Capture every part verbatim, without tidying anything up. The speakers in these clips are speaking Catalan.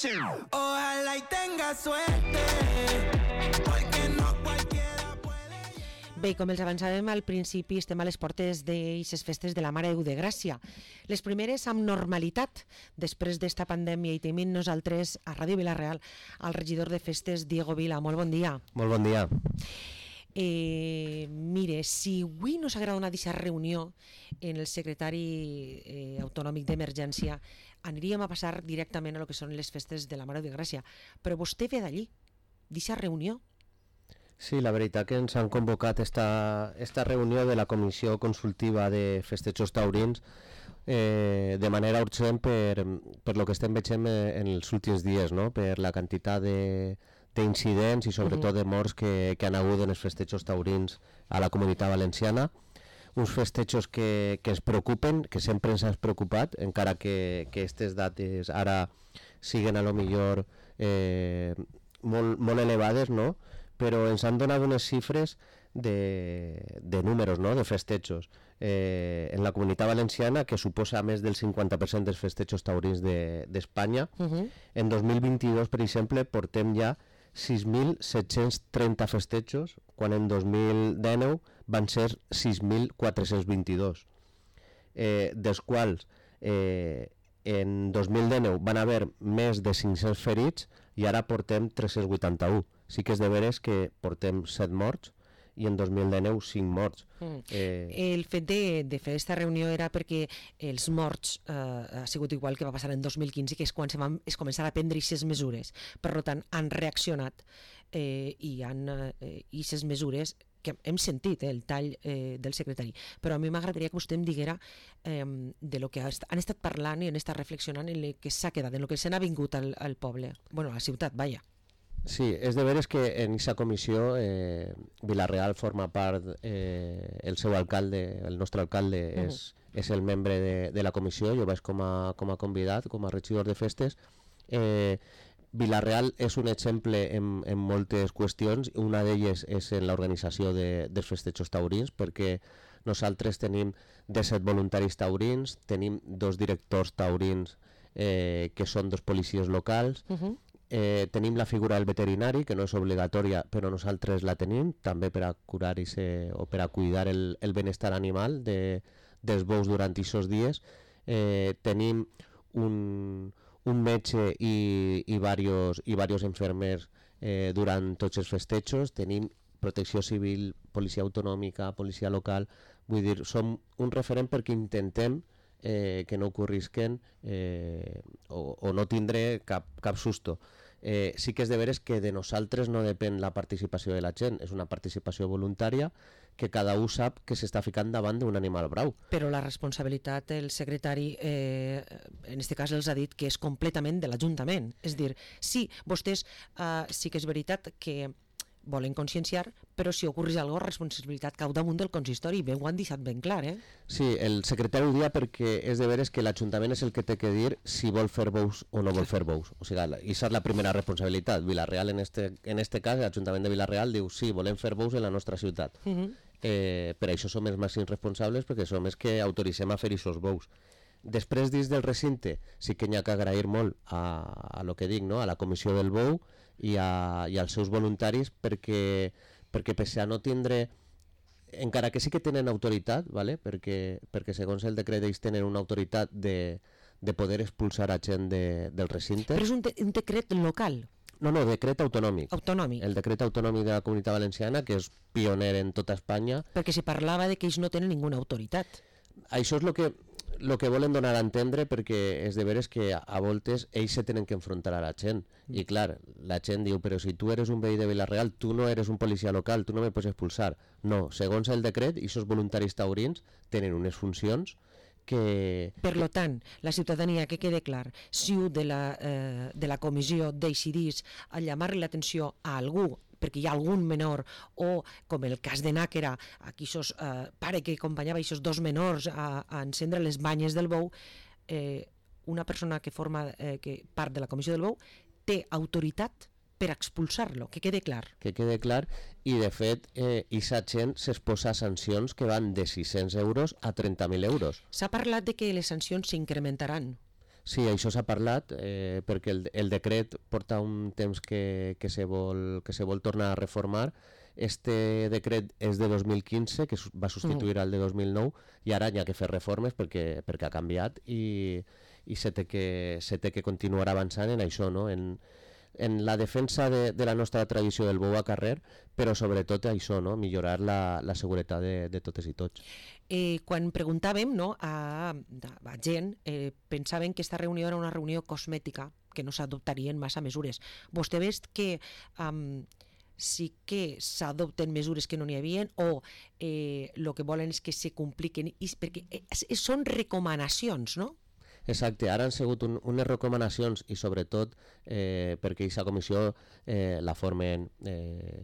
Ojalá y tenga suerte, porque no cualquiera puede. Bé, com els avançàvem al principi, estem a les portes d'eixes festes de la Mare de Déu de Gràcia. Les primeres amb normalitat, després d'esta pandèmia, i tenim nosaltres a Ràdio Vila-real al regidor de festes, Diego Vila. Molt bon dia. Molt bon dia. Eh, mire, si avui no s'agrada una d'aquesta reunió en el secretari eh, autonòmic d'emergència, aniríem a passar directament a lo que són les festes de la Mare de Gràcia. Però vostè ve d'allí, d'aquesta reunió. Sí, la veritat que ens han convocat esta, esta reunió de la Comissió Consultiva de Festejos Taurins eh, de manera urgent per, per lo que estem veient en els últims dies, no? Per la quantitat de d'incidents i sobretot uh-huh. de morts que, que han hagut en els festejos taurins a la Comunitat Valenciana. Uns festejos que, que ens preocupen, que sempre ens han preocupat, encara que aquestes dates ara siguen a lo millor eh, molt, molt elevades, no? Però ens han donat unes xifres de, de números, no? De festejos eh, en la Comunitat Valenciana, que suposa més del cinquanta per cent dels festejos taurins d'Espanya. De, uh-huh. En dos mil vint-i-dos, per exemple, portem ja sis mil set-cents trenta festejos, quan en dos mil dinou van ser sis mil quatre-cents vint-i-dos, eh, dels quals eh, en dos mil dinou van haver més de cinc-cents ferits i ara portem tres-cents vuitanta-u. Sí que és de veres que portem set morts i en dos mil dinou cinc morts. Mm. Eh... El fet de, de fer aquesta reunió era perquè els morts eh, ha sigut igual que va passar en dos mil quinze, que és quan se van es començar a prendre aquestes mesures. Per tant, han reaccionat eh, i han aquestes eh, mesures que hem sentit, eh, el tall eh, del secretari. Però a mi m'agradaria que vostè em diguera eh, de lo que han estat parlant i han estat reflexionant en el que s'ha quedat, en el que se n'ha vingut al, al poble, bueno, a la ciutat, vaja. Sí, és de veres que en aquesta comissió eh, Vila-real forma part, eh, el seu alcalde, el nostre alcalde uh-huh. és, és el membre de, de la comissió, jo vaig com a, com a convidat, com a regidor de festes. Eh, Vila-real és un exemple en, en moltes qüestions, una d'elles és en l'organització de, dels festejos taurins, perquè nosaltres tenim disset voluntaris taurins, tenim dos directors taurins eh, que són dos policies locals, uh-huh. Eh, tenim la figura del veterinari, que no és obligatòria, però nosaltres la tenim, també per a curar i ser, o per a cuidar el, el benestar animal de, dels bous durant aquests dies. Eh, tenim un, un metge i, i, varios, i varios enfermers eh, durant tots els festejos, tenim protecció civil, policia autonòmica, policia local, vull dir, som un referent perquè intentem Eh, que no ocorrisquen eh, o, o no tindré cap, cap susto. Eh, sí que és de veres que de nosaltres no depèn la participació de la gent, és una participació voluntària que cada un sap que s'està ficant davant d'un animal brau. Però la responsabilitat, el secretari, eh, en aquest cas els ha dit que és completament de l'Ajuntament. És dir, sí, vostès eh, sí que és veritat que volen conscienciar, però si ocorreix alguna cosa, responsabilitat cau damunt del consistori, bé ho han deixat ben clar, eh? Sí, el secretari ho dia perquè és de veres que l'Ajuntament és el que té que dir si vol fer bous o no vol fer bous. O sigui, aquesta és la primera responsabilitat. Vila-real, en este, en este cas, l'Ajuntament de Vila-real diu sí, volem fer bous en la nostra ciutat. Uh-huh. eh, per això som els màxims responsables, perquè som els que autoritzem a fer aquests bous. Després, dins del recinte, sí que n'hi ha que agrair molt a, a lo que dic, no? A la comissió del bou i, a, i als seus voluntaris, perquè, perquè pese a no tindre, encara que sí que tenen autoritat, ¿vale? perquè, perquè segons el decret ells tenen una autoritat de, de poder expulsar a gent de, del recinte. Però és un, de, un decret local? No, no, decret autonòmic. Autonòmic. El decret autonòmic de la Comunitat Valenciana, que és pioner en tota Espanya. Perquè se parlava de que ells no tenen ninguna autoritat. Això és el que... el que volen donar a entendre, perquè és de veres que a voltes ells se tenen que enfrontar a la gent i clar, la gent diu però si tu eres un veí de Vila-real, tu no eres un policia local, tu no me pots expulsar. No, segons el decret, aquests voluntaris taurins tenen unes funcions que... Per lo tant, la ciutadania, que quede clar, si u de la, eh, de la comissió decidís a llamar l'atenció a algú perquè hi ha algun menor, o com el cas de Nàquera, aquí sos eh, pare que acompanyava aquests dos menors a, a encendre les banyes del bou, eh, una persona que forma eh, que part de la comissió del bou té autoritat per expulsar-lo, que quede clar. Que quede clar, i de fet, eh, aquesta gent s'exposa a sancions que van de sis-cents euros a trenta mil euros. S'ha parlat de que les sancions s'incrementaran. Sí, això s'ha parlat eh, perquè el, el decret porta un temps que, que, se vol, que se vol tornar a reformar. Este decret és de dos mil quinze, que va substituir el de dos mil nou, i ara hi ha que fer reformes perquè, perquè ha canviat i, i se té que, se té que continuar avançant en això, no? en, en la defensa de, de la nostra tradició del bou a carrer, però sobretot això, no? Millorar la, la seguretat de, de totes i tots. Eh, quan preguntàvem, no, a, a gent, eh, pensaven que aquesta reunió era una reunió cosmètica, que no s'adoptarien massa mesures. Vostè veus que um, sí que s'adopten mesures que no n'hi havia o el eh, que volen és que se compliquen, i, perquè eh, són recomanacions, no? Exacte, ara han sigut un, unes recomanacions i sobretot eh, perquè aquesta comissió eh, la formen eh,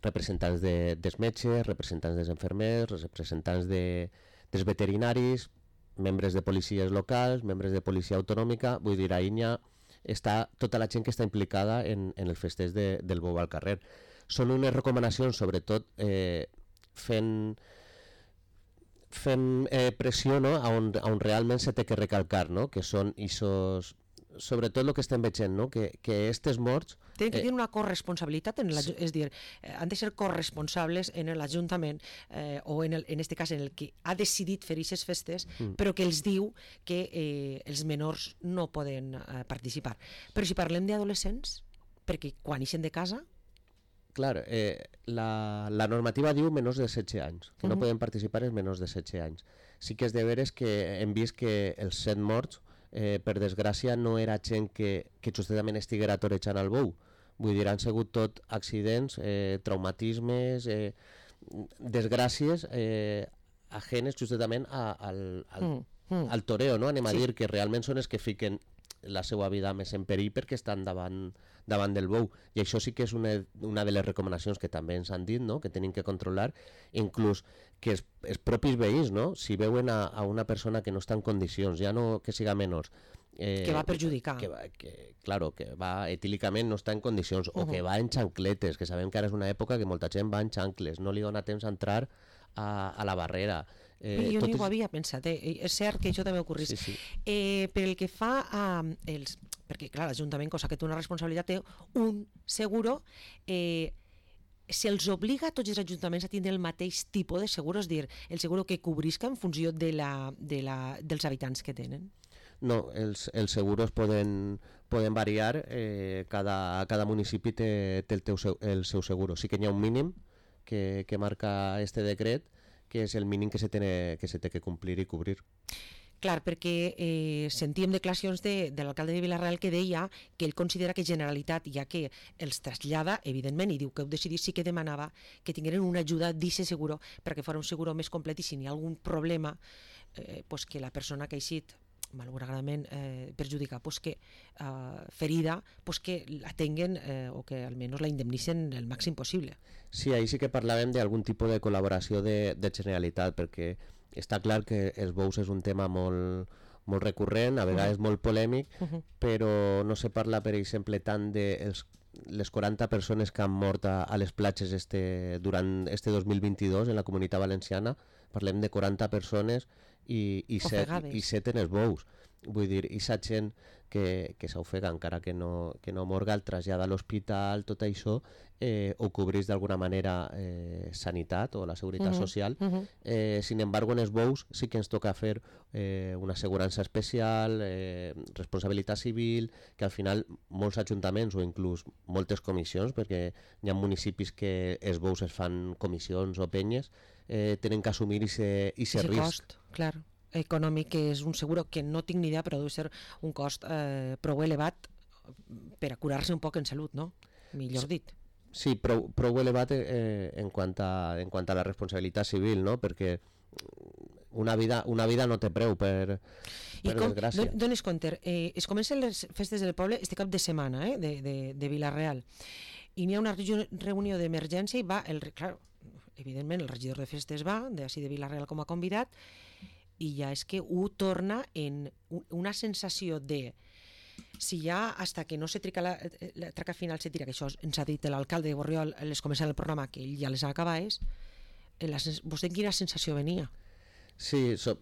representants de, dels metges, representants dels infermers, representants de, dels veterinaris, membres de policies locals, membres de policia autonòmica, vull dir, ahir ha, està tota la gent que està implicada en, en el festeig de, del bou al carrer. Són unes recomanacions sobretot eh, fent... fem eh, pressió, no? a, on, a on realment se té que recalcar, no? Que són isos, sobretot el que estem veient, no? que, que estes morts... Tenen que eh, tenir una corresponsabilitat, en sí. És dir, eh, han de ser corresponsables en l'Ajuntament eh, o en, el, en este cas en el que ha decidit fer aquestes festes, mm. però que els diu que eh, els menors no poden eh, participar. Però si parlem d'adolescents, perquè quan ixen de casa... Clar, eh, la, la normativa diu menors de setze anys, que uh-huh. no poden participar els menors de setze anys. Sí que és de veres que hem vist que els set morts, eh, per desgràcia, no era gent que, que justament estiguera torejant el bou. Vull dir, han sigut tot accidents, eh, traumatismes, eh, desgràcies eh, ajenes justament a, al, al, uh-huh. al toreo, no? Anem a sí. dir que realment són els que fiquen la seva vida més en perill perquè estan davant, davant del bou, i això sí que és una, una de les recomanacions que també ens han dit, no? Que tenim que controlar, inclús que els, els propis veïns, no? Si veuen a, a una persona que no està en condicions, ja no que siga menors, eh, que va perjudicar, que, va, que, claro, que va etílicament no està en condicions, uh-huh. o que va en xancletes, que sabem que ara és una època que molta gent va en xancles, no li dona temps a entrar a, a la barrera. Eh, jo ni ho havia pensat, eh? És cert que això també ocorrís. Sí, sí. Eh, per el que fa a els... Perquè, clar, l'Ajuntament, cosa que té una responsabilitat, té un seguro, eh, se'ls obliga a tots els ajuntaments a tindre el mateix tipus de seguro, és dir, el seguro que cobrisca en funció de la, de la, dels habitants que tenen? No, els, els seguros poden, poden variar, eh, cada, cada municipi té, té el, teu, el seu seguro. Sí que hi ha un mínim que, que marca este decret, que és el mínim que se, té, que se té que complir i cobrir. Clar, perquè eh, sentíem declaracions de, de l'alcalde de Vila-real que deia que ell considera que Generalitat, ja que els trasllada, evidentment, i diu que heu decidit, sí que demanava que tingueren una ajuda d'eixe seguro perquè fos un seguro més complet i si n'hi ha algun problema, eh, pues que la persona que ha eixit malauradament eh, perjudicar, pues que eh, ferida, pues que la tenguen eh, o que almenys la indemnicen el màxim possible. Sí, ahí sí que parlàvem d'algun tipus de col·laboració de, de Generalitat, perquè està clar que els bous és un tema molt, molt recurrent, a vegades uh-huh. molt polèmic, uh-huh. però no se parla, per exemple, tant de els, les quaranta persones que han mort a, a les platges este, durant este dos mil vint-i-dos en la Comunitat Valenciana. Parlem de quaranta persones i, i, set, i set en els bous. Vull dir, i sa gent que, que s'ofega encara que no, que no morga, el trasllada a l'hospital, tot això, eh, ho cobreix d'alguna manera eh, sanitat o la seguretat uh-huh. social. Uh-huh. Eh, sin embargo, en els bous sí que ens toca fer eh, una assegurança especial, eh, responsabilitat civil, que al final molts ajuntaments o inclús moltes comissions, perquè hi ha municipis que els bous es fan comissions o penyes, eh, tenen que assumir aquest risc. Cost, clar, econòmic, que és un seguro que no tinc ni idea, però deu ser un cost eh, prou elevat per a curar-se un poc en salut, no? Millor dit. Sí, prou, prou elevat eh, en, quant a, en quant a la responsabilitat civil, no? Perquè una vida, una vida no té preu, per, per com, desgràcia. Don, dones compte, eh, es comencen les festes del poble este cap de setmana, eh, de, de, de Vila-real, i n'hi ha una reunió d'emergència i va, el, clar, evidentment el regidor de festes va, d'ací de Vila-real com a convidat, i ja és que ho torna en una sensació de si ja hasta que no se trica la, la traca final se tira, que això ens ha dit l'alcalde de Borriol les començant el programa, que ell ja les acabés, la, vostè quina sensació venia? Sí, so,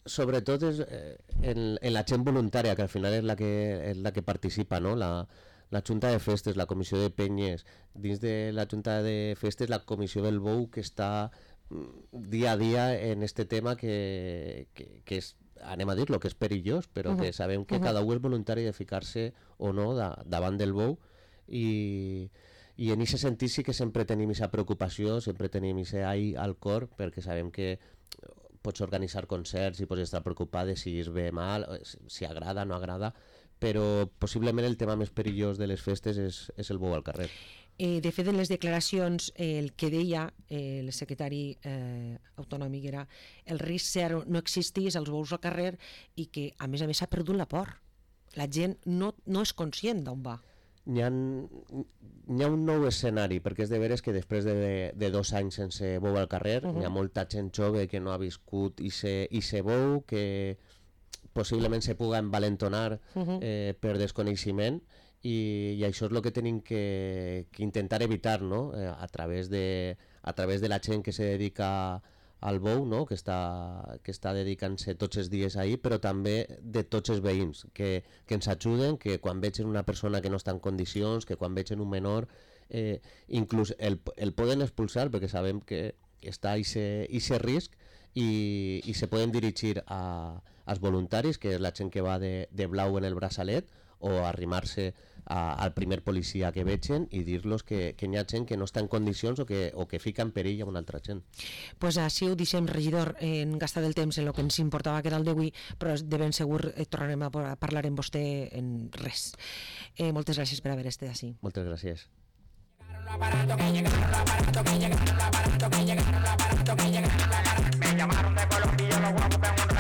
sobretot és eh, en, en la gent voluntària, que al final és la que, és la que participa, no? La, la Junta de Festes, la Comissió de Penyes, dins de la Junta de Festes la Comissió del Bou, que està dia a dia en este tema que, que, que és, anem a dir-lo, que és perillós, però uh -huh. que sabem que uh -huh. cada un és voluntari de ficar-se o no da, davant del bou, i, i en aquest sentit sí que sempre tenim aquesta preocupació, sempre tenim aquest ai al cor, perquè sabem que pots organitzar concerts i pots estar preocupat de si es ve mal, si agrada o no agrada, però possiblement el tema més perillós de les festes és, és el bou al carrer. Eh, de fet, en les declaracions, eh, el que deia eh, el secretari eh, autonòmic era el risc zero no existís als bous al carrer i que, a més a més, s'ha perdut la por. La gent no, no és conscient d'on va. N'hi ha, n'hi ha un nou escenari, perquè és de veres que després de, de dos anys sense bou al carrer, uh -huh. n'hi ha molta gent jove que no ha viscut i se, i se bou, que possiblement se puga envalentonar uh -huh. eh, per desconeixement, i, i això és el que tenim que, que intentar evitar, no? eh, a, través de, a través de la gent que se dedica al bou, no? que està, que està dedicant-se tots els dies ahir, però també de tots els veïns, que, que ens ajuden, que quan vegen una persona que no està en condicions, que quan vegen un menor, eh, inclús el, el poden expulsar, perquè sabem que està aquest risc, i, i se poden dirigir a, als voluntaris, que és la gent que va de, de blau en el braçalet, o arrimar-se a, al primer policia que vegen i dir-los que, que hi ha gent que no està en condicions o que, o que fica en perill a una altra gent. Pues així ho deixem, regidor, en gastar el temps en el que ens importava, que era el d'avui, però de ben segur eh, tornarem a parlar amb vostè en res. Eh, moltes gràcies per haver estat així. Moltes gràcies. Llegaron los aparatos que llegaron, los aparatos que llegaron, los aparatos que llegaron, los aparatos que llegaron.